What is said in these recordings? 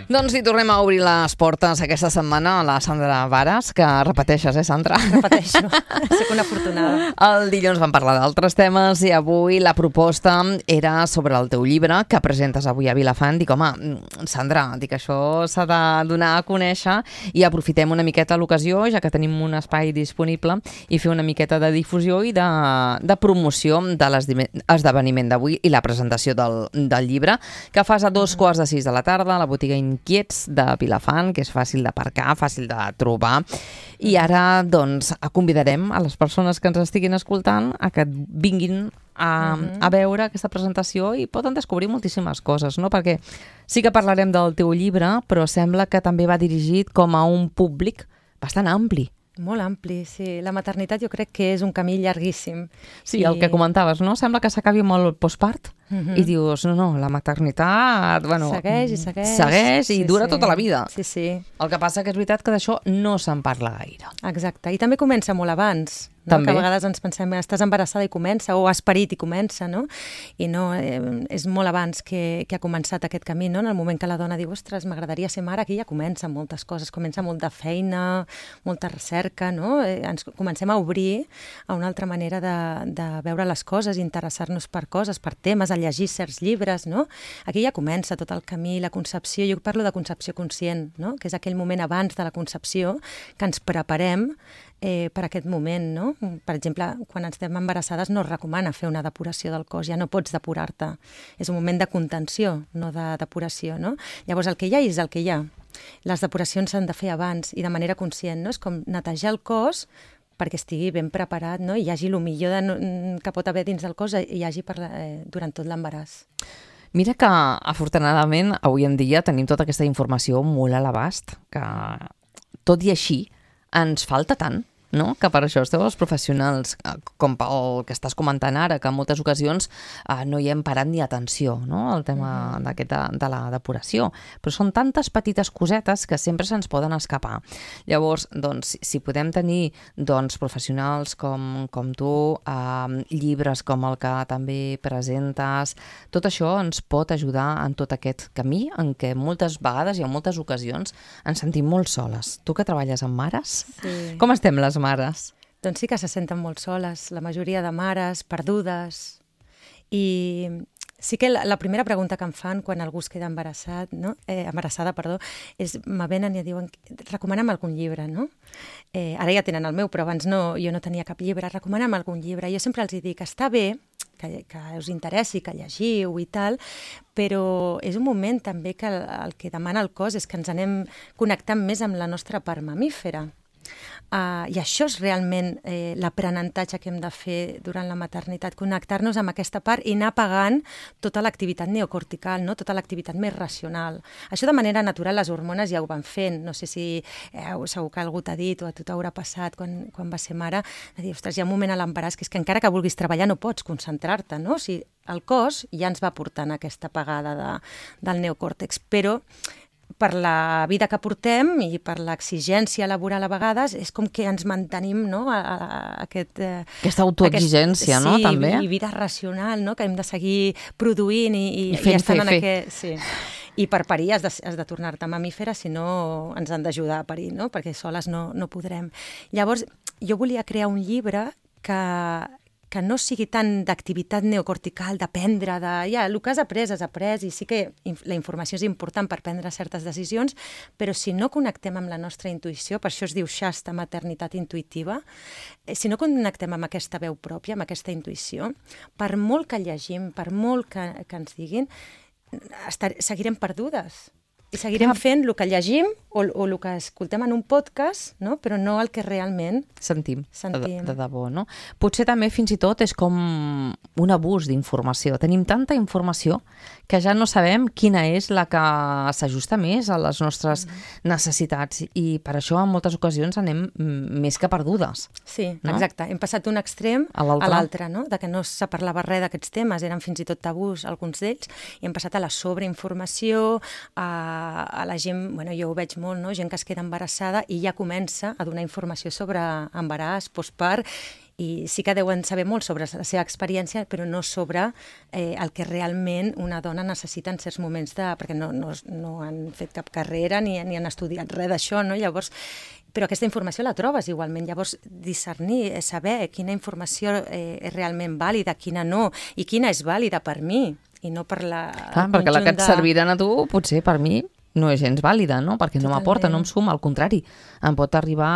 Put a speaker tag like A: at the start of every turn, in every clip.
A: Doncs hi tornem a obrir les portes aquesta setmana a la Sandra Varas, que repeteixes, Sandra?
B: Repeteixo, soc una afortunada.
A: El dilluns vam parlar d'altres temes i avui la proposta era sobre el teu llibre que presentes avui a Vilafant. Dic, home, Sandra, això s'ha de donar a conèixer i aprofitem una miqueta l'ocasió, ja que tenim un espai disponible, i fer una miqueta de difusió i de promoció de l'esdeveniment d'avui i la presentació del llibre, que fas a 2:15 de la tarda a la botiga Inquiets de Vilafant, que és fàcil d'aparcar, fàcil de trobar. I ara, doncs, convidarem a les persones que ens estiguin escoltant a que vinguin a veure aquesta presentació i poden descobrir moltíssimes coses, no? Perquè sí que parlarem del teu llibre, però sembla que també va dirigit com a un públic bastant ampli.
B: Molt ampli, sí. La maternitat jo crec que és un camí llarguíssim.
A: Sí, el que comentaves, no? Sembla que s'acabi molt el postpart i dius, no, la maternitat, bueno...
B: Segueix i segueix.
A: Segueix i dura tota la vida.
B: Sí, sí.
A: El que passa que és veritat que d'això no se'n parla gaire.
B: Exacte. I també comença molt abans. No?
A: També.
B: Que a vegades ens pensem, estàs embarassada i comença, o has parit i comença, no? I no, és molt abans que ha començat aquest camí, no? En el moment que la dona diu, ostres, m'agradaria ser mare, aquí ja comencen moltes coses, comença molta feina, molta recerca, no? Ens comencem a obrir a una altra manera de veure les coses, interessar-nos per coses, per temes, a llegir certs llibres, no? Aquí ja comença tot el camí, la concepció, jo parlo de concepció conscient, no? Que és aquell moment abans de la concepció que ens preparem per aquest moment, no? Per exemple, quan estem embarassades no es recomana fer una depuració del cos, ja no pots depurar-te. És un moment de contenció, no de depuració, no? Llavors, el que hi ha és el que hi ha. Les depuracions s'han de fer abans i de manera conscient, no? És com netejar el cos perquè estigui ben preparat, no? I hi hagi el millor que pot haver dins del cos i hi hagi durant tot l'embaràs.
A: Mira que, afortunadament, avui en dia tenim tota aquesta informació molt a l'abast, que tot i així ens falta tant, no? Que per això esteu els professionals, com el que estàs comentant ara, que en moltes ocasions no hi hem parat ni atenció, no? El tema de la depuració. Però són tantes petites cosetes que sempre se'ns poden escapar. Llavors, doncs, si podem tenir professionals com tu, llibres com el que també presentes, tot això ens pot ajudar en tot aquest camí en què moltes vegades i en moltes ocasions ens sentim molt soles. Tu que treballes amb mares,
B: sí.
A: Com estem les mares?
B: Doncs sí que se senten molt soles, la majoria de mares, perdudes. I sí que la primera pregunta que em fan quan algú es queda embarassada, és me venen i diuen, recomana'm algun llibre, no? Ara ja tenen el meu, però abans jo no tenia cap llibre, recomana'm algun llibre. Jo sempre els dic, està bé que us interessi, que llegiu i tal, però és un moment també que el que demana el cos és que ens anem connectant més amb la nostra part mamífera. I això és realment l'aprenentatge que hem de fer durant la maternitat, connectar-nos amb aquesta part i anar apagant tota l'activitat neocortical, no? Tota l'activitat més racional. Això de manera natural les hormones ja ho van fent. No sé si segur que algú t'ha dit o a tu t'haurà passat quan va ser mare, de dir, ostres, hi ha un moment a l'embaràs que és que encara que vulguis treballar no pots concentrar-te, no? O sigui, el cos ja ens va portant aquesta apagada del neocòrtex, però per la vida que portem i per l'exigència laboral a vegades, és com que ens mantenim, no?
A: Aquesta autoexigència, no? També.
B: Sí, i vida racional, no? Que hem de seguir produint i
A: fent,
B: estant en aquest... Sí. I per parir has de tornar-te mamífera, si no ens han d'ajudar a parir, no? Perquè soles no podrem. Llavors, jo volia crear un llibre que no sigui tant d'activitat neocortical, d'aprendre, el que has après, i sí que la informació és important per prendre certes decisions, però si no connectem amb la nostra intuïció, per això es diu Shasta, maternitat intuïtiva, si no connectem amb aquesta veu pròpia, amb aquesta intuïció, per molt que llegim, per molt que ens diguin, seguirem perdudes. I seguirem fent el que llegim o el que escoltem en un podcast, no? Però no el que realment
A: sentim. De debò, no? Potser també fins i tot és com un abús d'informació. Tenim tanta informació que ja no sabem quina és la que s'ajusta més a les nostres necessitats i per això en moltes ocasions anem més que perdudes.
B: Sí, no? Exacte. Hem passat d'un extrem a l'altre, no? De que no se parlava res d'aquests temes, eren fins i tot tabús alguns d'ells, i hem passat a la sobreinformació, a la gent, jo ho veig molt, no? Gent que es queda embarassada i ja comença a donar informació sobre embaràs, postpart, i sí que deuen saber molt sobre la seva experiència, però no sobre el que realment una dona necessita en certs moments perquè no han fet cap carrera ni han estudiat res d'això, no? Llavors, però aquesta informació la trobes igualment. Llavors, discernir, saber quina informació és realment vàlida, quina no, i quina és vàlida per mi, i no per
A: perquè la que et serviran a tu, potser per mi, no és gens vàlida, no? Perquè no m'aporta, no em suma, al contrari. Em pot arribar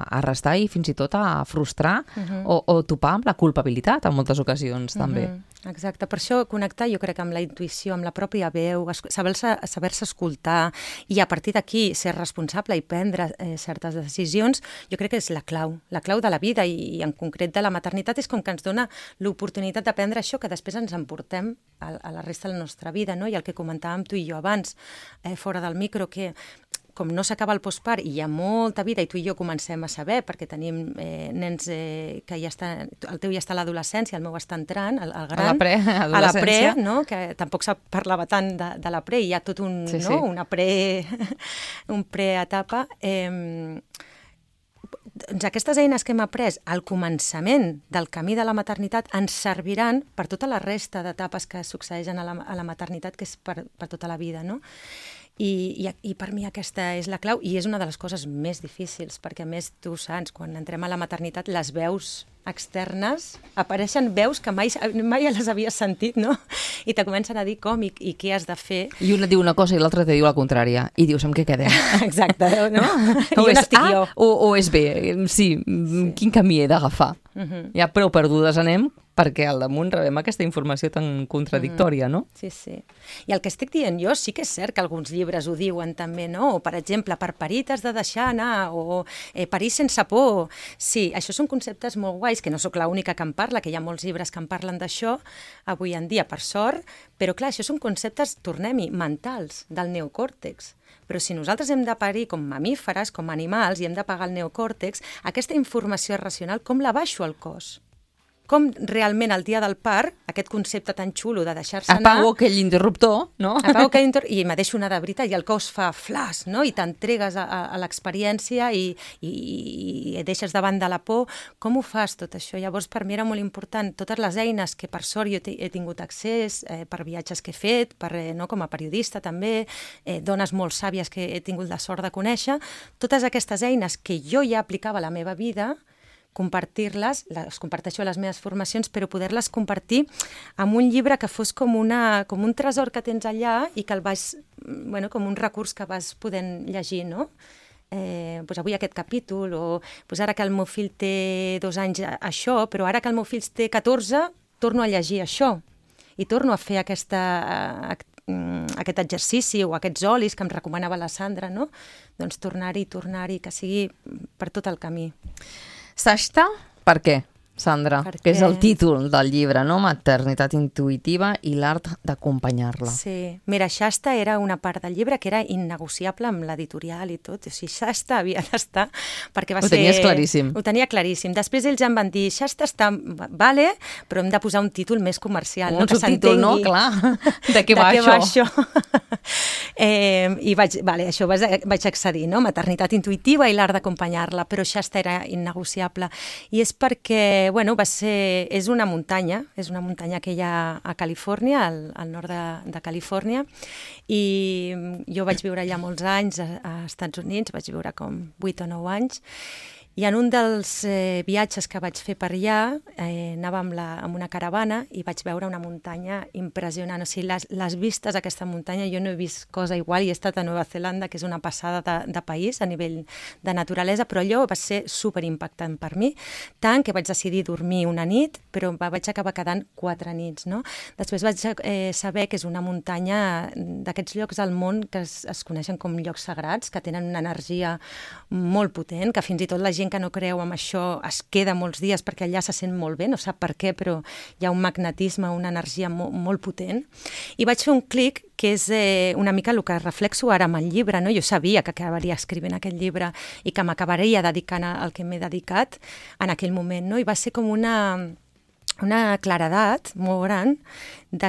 A: a restar i fins i tot a frustrar o topar amb la culpabilitat en moltes ocasions, també.
B: Exacte. Per això connectar, jo crec, amb la intuïció, amb la pròpia veu, saber-se escoltar i a partir d'aquí ser responsable i prendre certes decisions, jo crec que és la clau de la vida i en concret de la maternitat és com que ens dona l'oportunitat d'aprendre això que després ens emportem a la resta de la nostra vida, no? I el que comentàvem tu i jo abans, fora del micro, que com no s'acaba el postpart i hi ha molta vida i tu i jo comencem a saber, perquè tenim nens que ja estan, el teu ja està a l'adolescència, el meu està entrant, el gran,
A: a la pre,
B: no? Que tampoc se parlava tant de la pre, hi ha tot un,
A: sí.
B: Una un preetapa. Doncs aquestes eines que hem après al començament del camí de la maternitat ens serviran per tota la resta d'etapes que succeeixen a la maternitat, que és per tota la vida, no? I per mi aquesta és la clau i és una de les coses més difícils, perquè a més tu saps, quan entrem a la maternitat les veus externes, apareixen veus que mai les havies sentit, no? I te comencen a dir com i què has de fer.
A: I una diu una cosa i l'altra te diu la contrària. I dius, amb què quedem?
B: Exacte. No?
A: O és A o és B. Sí, quin camí he d'agafar? Ja prou perdudes anem perquè al damunt rebem aquesta informació tan contradictòria, no?
B: Sí, sí. I el que estic dient jo sí que és cert que alguns llibres ho diuen també, no? O, per exemple, per parir t'has de deixar anar, o parir sense por. Sí, això són conceptes molt guais, que no sóc l'única que en parla, que hi ha molts llibres que en parlen d'això, avui en dia, per sort, però clar, això són conceptes, tornem-hi, mentals, del neocòrtex. Però si nosaltres hem de parir com mamíferes, com animals, i hem de pagar el neocòrtex, aquesta informació racional, com la baixo al cos? Com realment el dia del part, aquest concepte tan xulo de deixar-se anar...
A: Apago aquell interruptor, no?
B: Apago aquell interruptor i me deixo anar de veritat i el cos fa flash, no? I t'entregues a l'experiència i deixes davant de la por. Com ho fas tot això? Llavors per mi era molt important totes les eines que per sort jo he tingut accés, per viatges que he fet, com a periodista també, dones molt sàvies que he tingut la sort de conèixer, totes aquestes eines que jo ja aplicava a la meva vida, compartir-les, les comparteixo a les meves formacions, però poder-les compartir amb un llibre que fos com un tresor que tens allà i que el vas, com un recurs que vas podent llegir, no? Doncs avui aquest capítol, o doncs ara que el meu fill té 2 anys això, però ara que el meu fill té 14, torno a llegir això i torno a fer aquest exercici o aquests olis que em recomanava la Sandra, no? Doncs tornar-hi, que sigui per tot el camí.
A: Sashta, per què, Sandra? Que és el títol del llibre, no? Maternitat intuïtiva i l'art d'acompanyar-la.
B: Sí. Mira, Shasta era una part del llibre que era innegociable amb l'editorial i tot. O sigui, Shasta havia d'estar perquè va ser...
A: Ho tenies claríssim.
B: Ho tenia claríssim. Després ells em van dir, Shasta està... Vale, però hem de posar un títol més comercial.
A: Un subtítol, no? Clar. De què va això?
B: I vaig accedir, no? Maternitat intuïtiva i l'art d'acompanyar-la, però Shasta era innegociable. I és perquè és una muntanya que hi ha a Califòrnia, al nord de Califòrnia, i jo vaig viure allà molts anys a Estats Units, vaig viure com 8 o 9 anys, i en un dels viatges que vaig fer per allà anàvem amb una caravana i vaig veure una muntanya impressionant. O sigui, les vistes d'aquesta muntanya, jo no he vist cosa igual, i he estat a Nova Zelanda, que és una passada de país a nivell de naturalesa, però allò va ser superimpactant per mi, tant que vaig decidir dormir una nit, però vaig acabar quedant 4 nits, no? Després vaig saber que és una muntanya d'aquests llocs al món que es coneixen com llocs sagrats, que tenen una energia molt potent, que fins i tot la gent que no creu en això es queda molts dies perquè allà se sent molt bé, no sap per què, però hi ha un magnetisme, una energia molt potent. I vaig fer un clic que és una mica el que reflexo ara amb el llibre, no? Jo sabia que acabaria escrivint aquest llibre i que m'acabaria dedicant al que m'he dedicat en aquell moment, no? I va ser com una claredat molt gran,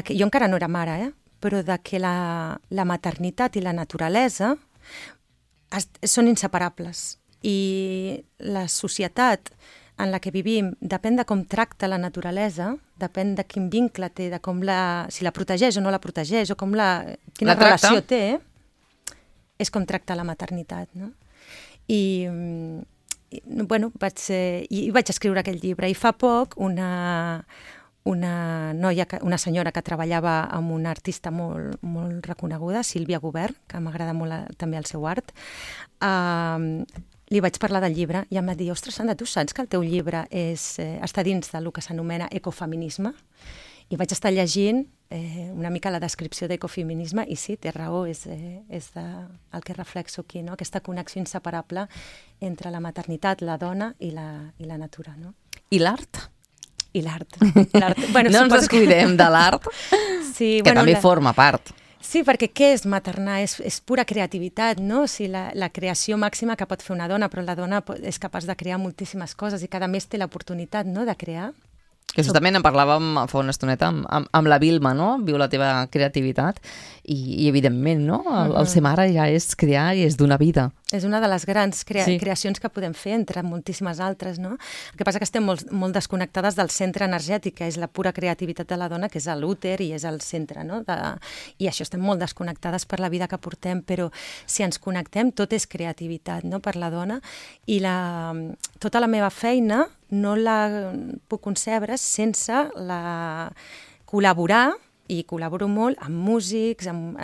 B: que jo encara no era mare, però de que la maternitat i la naturalesa són inseparables. I la societat en la que vivim depèn de com tracta la naturalesa, depèn de quin vincle té, de com si la protegeix o no la protegeix, o quina relació té, és com tracta la maternitat, no? I bueno, vaig escriure aquell llibre, i fa poc una senyora que treballava amb una artista molt, molt reconeguda, Sílvia Gubern, que m'agrada molt també el seu art, li vaig parlar del llibre i em va dir, ostres, Sandra, tu saps que el teu llibre està dins del que s'anomena ecofeminisme? I vaig estar llegint una mica la descripció d'ecofeminisme i sí, té raó, és el que reflexo aquí, no? Aquesta connexió inseparable entre la maternitat, la dona i la natura. No?
A: I l'art?
B: I l'art. Bueno,
A: no ens descuidem de l'art,
B: sí,
A: que també forma part.
B: Sí, perquè què és maternar? És pura creativitat, no? O sigui, la creació màxima que pot fer una dona, però la dona és capaç de crear moltíssimes coses i cada mes té l'oportunitat, no?, de crear.
A: Que justament en parlàvem fa una estoneta amb la Vilma, no? Viu la teva creativitat i evidentment, no? El ser mare ja és crear i és donar vida.
B: És una de les grans creacions que podem fer, entre moltíssimes altres, no? El que passa que estem molt desconnectades del centre energètic, que és la pura creativitat de la dona, que és l'úter i és el centre, no? I això estem molt desconnectades per la vida que portem, però si ens connectem, tot és creativitat, no?, per la dona. I tota la meva feina no la puc concebre sense col·laborar, i col·laboro molt amb músics, amb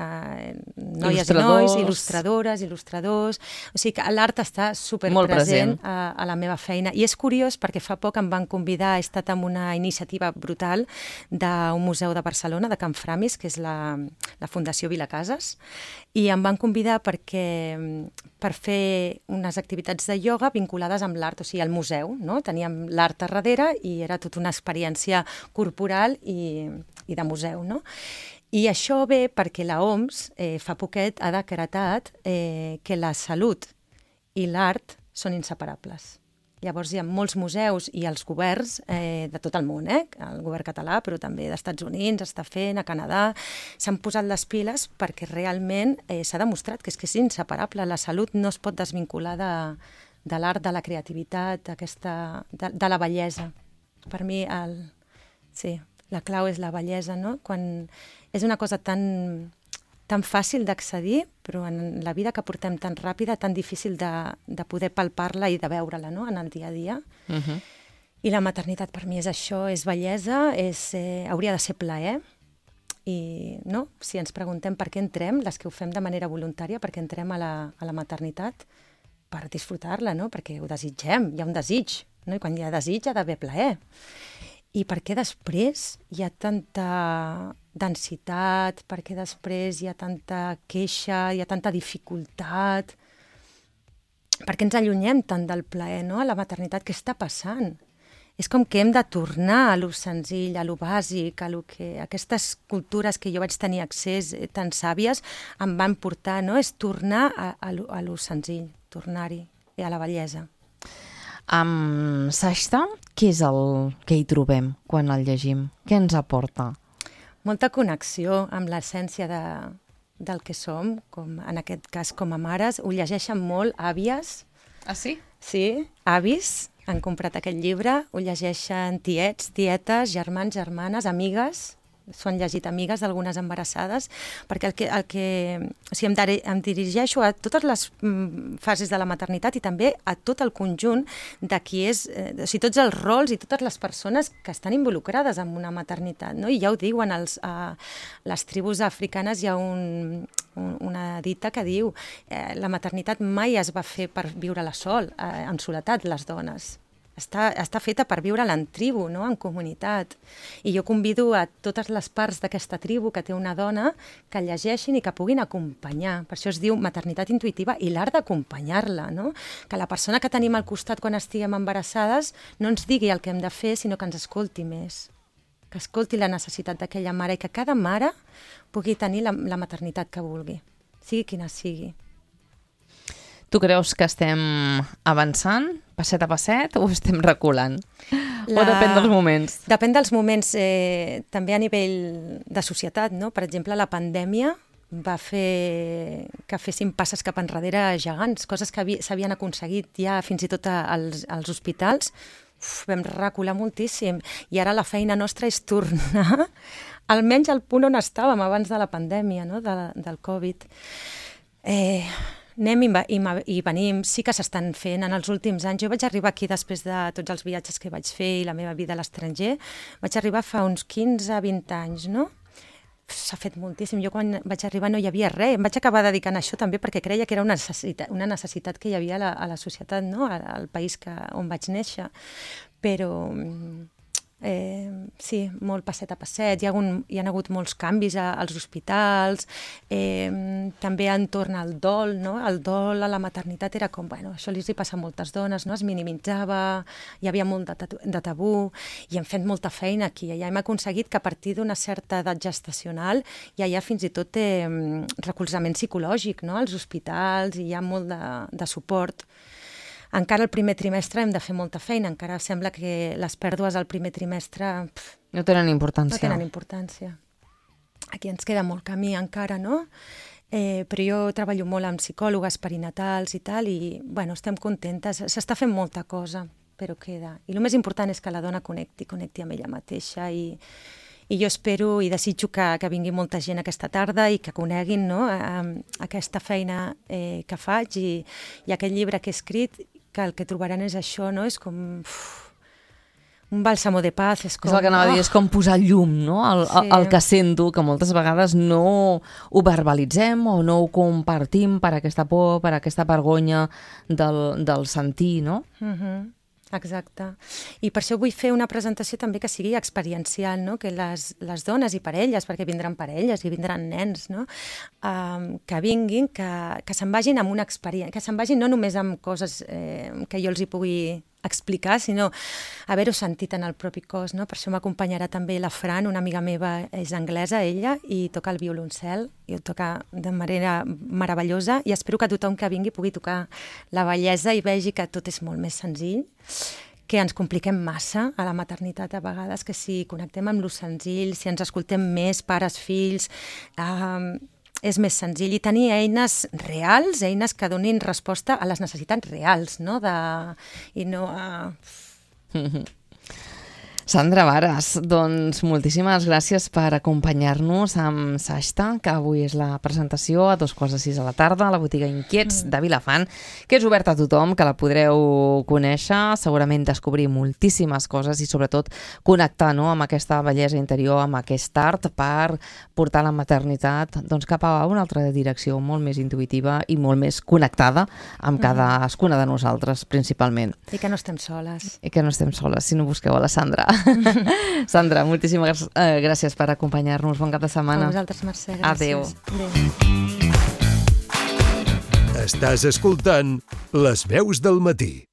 B: noies i nois, il·lustradors. O sigui que l'art està superpresent a la meva feina. I és curiós perquè fa poc em van convidar, he estat en una iniciativa brutal d'un museu de Barcelona, de Can Framis, que és la Fundació Vilacases, i em van convidar per fer unes activitats de ioga vinculades amb l'art, o sigui, al museu, no? Teníem l'art a darrere i era tota una experiència corporal i de museu, no? I això ve perquè l'OMS fa poquet ha decretat que la salut i l'art són inseparables. Llavors hi ha molts museus i els governs de tot el món, el govern català, però també d'Estats Units, està fent, a Canadà, s'han posat les piles perquè realment s'ha demostrat que és inseparable. La salut no es pot desvincular de l'art, de la creativitat, de la bellesa. Per mi, sí, la clau és la bellesa, no? Quan és una cosa tan fàcil d'accedir, però en la vida que portem tan ràpida, tan difícil de poder palpar-la i de veure-la, no?, en el dia a dia. I la maternitat per mi és això, és bellesa, hauria de ser plaer. I no? Si ens preguntem per què entrem, les que ho fem de manera voluntària, per què entrem a la maternitat, per disfrutar-la, no? Perquè ho desitgem, hi ha un desig, no? I quan hi ha desig ha d'haver plaer. I per què després hi ha tanta densitat, per què després hi ha tanta queixa, hi ha tanta dificultat? Per què ens allunyem tant del plaer, no?, a la maternitat? Què està passant? És com que hem de tornar a lo senzill, a lo bàsic, a aquestes cultures que jo vaig tenir accés tan sàvies em van portar, no? És tornar a lo senzill, tornar-hi, a la bellesa.
A: Amb Sashta, què és el que hi trobem quan el llegim? Què ens aporta?
B: Molta connexió amb l'essència del que som, com en aquest cas com a mares. Ho llegeixen molt àvies.
A: Ah, sí?
B: Sí, avis han comprat aquest llibre, ho llegeixen tiets, tietes, germans, germanes, amigues, s'ho han llegit amigues d'algunes embarassades, perquè o sigui, em dirigeixo a totes les fases de la maternitat i també a tot el conjunt de qui és, o sigui, tots els rols i totes les persones que estan involucrades en una maternitat, no? I ja ho diuen, a les tribus africanes hi ha una dita que diu la maternitat mai es va fer per viure-la sol, en soledat, les dones. Està feta per viure-la en tribu, no?, en comunitat. I jo convido a totes les parts d'aquesta tribu que té una dona que llegeixin i que puguin acompanyar. Per això es diu maternitat intuïtiva i l'art d'acompanyar-la, no? Que la persona que tenim al costat quan estiguem embarassades no ens digui el que hem de fer, sinó que ens escolti més. Que escolti la necessitat d'aquella mare i que cada mare pugui tenir la maternitat que vulgui, sigui quina sigui.
A: Tu creus que estem avançant, passet a passet, o estem reculant? O depèn dels moments?
B: Depèn dels moments, també a nivell de societat, no? Per exemple, la pandèmia va fer que féssim passes cap enrere gegants, coses que s'havien aconseguit ja fins i tot als hospitals. Vam recular moltíssim i ara la feina nostra és tornar almenys al punt on estàvem abans de la pandèmia, no? del Covid. Anem i venim, sí que s'estan fent en els últims anys. Jo vaig arribar aquí després de tots els viatges que vaig fer i la meva vida a l'estranger. Vaig arribar fa uns 15-20 anys, no? S'ha fet moltíssim. Jo quan vaig arribar no hi havia res. Em vaig acabar dedicant a això també perquè creia que era una necessitat que hi havia a la societat, no? Al país on vaig néixer. Però sí, molt passet a passet. Hi ha hagut molts canvis als hospitals, també entorn al dol, no? El dol a la maternitat era com, bueno, això li passa a moltes dones, no? Es minimitzava, hi havia molt de tabú, i hem fet molta feina aquí. Ja hem aconseguit que a partir d'una certa edat gestacional ja hi ha fins i tot recolzament psicològic, no? Als hospitals, i hi ha molt de suport. Encara el primer trimestre hem de fer molta feina, encara sembla que les pèrdues al primer trimestre
A: no tenen importància.
B: No tenen importància. Aquí ens queda molt camí encara, no? Però jo treballo molt amb psicòlogues perinatals i tal, i bueno, estem contentes. S'està fent molta cosa, però queda. I el més important és que la dona connecti amb ella mateixa, i jo espero i desitjo que vingui molta gent aquesta tarda i que coneguin, no? Aquesta feina que faig i aquest llibre que he escrit, que el que trobaran és això, no? És com un bàlsamo de paz. És Exacte. I per això vull fer una presentació també que sigui experiencial, no? Que les dones i parelles, perquè vindran parelles i vindran nens, no? Que vinguin, que se'n vagin amb una experiència, que se'n vagin no només amb coses que jo els hi pugui explicar, sinó haver-ho sentit en el propi cos, no? Per això m'acompanyarà també la Fran, una amiga meva, és anglesa, ella, i toca el violoncel, i ho toca de manera meravellosa, i espero que tothom que vingui pugui tocar la bellesa i vegi que tot és molt més senzill, que ens compliquem massa a la maternitat a vegades, que si connectem amb lo senzill, si ens escoltem més, pares, fills, és més senzill, i tenir eines reals, eines que donin resposta a les necessitats reals, no? I no a...
A: Sandra Varas, doncs moltíssimes gràcies per acompanyar-nos amb Sashta, que avui és la presentació a 2:15 a la tarda a la botiga Inquiets de Vilafant, que és oberta a tothom, que la podreu conèixer, segurament descobrir moltíssimes coses i sobretot connectar, no?, amb aquesta bellesa interior, amb aquest art, per portar la maternitat doncs, cap a una altra direcció molt més intuïtiva i molt més connectada amb cadascuna de nosaltres, principalment.
B: I que no estem soles.
A: I que no estem soles, si no busqueu a la Sandra. Sandra, moltíssimes gràcies per acompanyar-nos. Bon cap de setmana.
B: A vosaltres, Mercè, gràcies.
A: Adéu.
C: Estàs escoltant Les Veus del Matí.